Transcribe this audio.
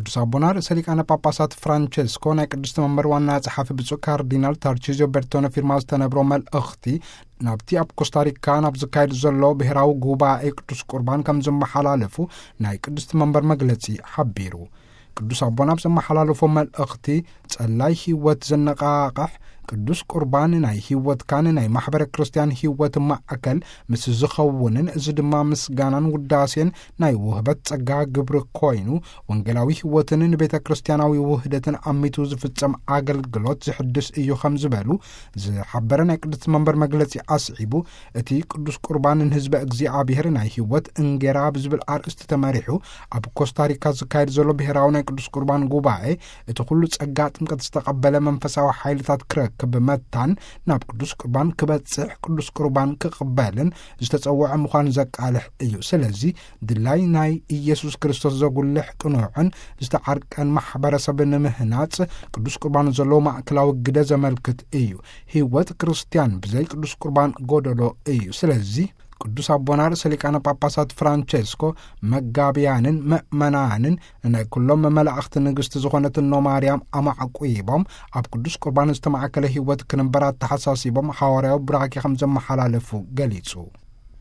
ቅዱስ ኣቦና ርእሰ ሊቃነ ጳጳሳት ፍራንቸስኮ ናይ ቅድስቲ መንበር ዋና ጸሓፊ ብፁዕ ካርዲናል ታርቺዚዮ ቤርቶነ ፊርማ ዝተነብሮ መልእኽቲ፣ ናብቲ ኣብ ኮስታሪካ ናብ ዝካየድ ዘሎ ብሔራዊ ጉባኤ ቅዱስ ቁርባን ከም ዘመሓላለፉ ናይ ቅድስቲ መንበር መግለጺ ሓቢሩ። ቅዱስ ኣቦና ኣብ ዘመሓላለፎ መልእኽቲ፣ ጸላይ ህይወት ዘነቓቕሕ ቅዱስ ቁርባን ናይ ህይወትካን ናይ ማሕበረ ክርስቲያን ህይወት ማዕከል ምስ ዝኸውንን፣ እዚ ድማ ምስጋናን ውዳሴን ናይ ውህበት ጸጋ ግብሪ ኮይኑ፣ ወንጌላዊ ህይወትን ንቤተ ክርስቲያናዊ ውህደትን ኣሚቱ ዝፍጸም ኣገልግሎት ዝሕድስ እዩ ከም ዝበሉ ዝሓበረ ናይ ቅድስቲ መንበር መግለጺ ኣስዒቡ፣ እቲ ቅዱስ ቁርባን ንህዝበ እግዚኣብሔር ናይ ህይወት እንጌራ ብዝብል ኣርእስቲ ተመሪሑ ኣብ ኮስታሪካ ዝካየድ ዘሎ ብሔራዊ ናይ ቅዱስ ቁርባን ጉባኤ፣ እቲ ኩሉ ጸጋ ጥምቀት ዝተቐበለ መንፈሳዊ ሓይልታት ክረክብ መታን ናብ ቅዱስ ቁርባን ክበጽሕ ቅዱስ ቁርባን ክቕበልን ዝተጸውዐ ምዃን ዘቃልሕ እዩ። ስለዚ ድላይ ናይ ኢየሱስ ክርስቶስ ዘጉልሕ ቅኑዕን ዝተዓርቀን ማሕበረሰብ ንምህናጽ ቅዱስ ቁርባን ዘለዎ ማእከላዊ ግደ ዘመልክት እዩ። ህይወት ክርስቲያን ብዘይ ቅዱስ ቁርባን ጎደሎ እዩ። ስለዚ ቅዱስ ኣቦና ርእሰ ሊቃነ ጳጳሳት ፍራንቸስኮ መጋብያንን መእመናንን ናይ ኩሎም መላእኽቲ ንግስቲ ዝኾነት እኖ ማርያም ኣማዕቁይቦም ኣብ ቅዱስ ቁርባን ዝተማእከለ ህይወት ክንበር ኣተሓሳሲቦም ሓዋርያዊ ቡራኬ ከም ዘመሓላለፉ ገሊጹ።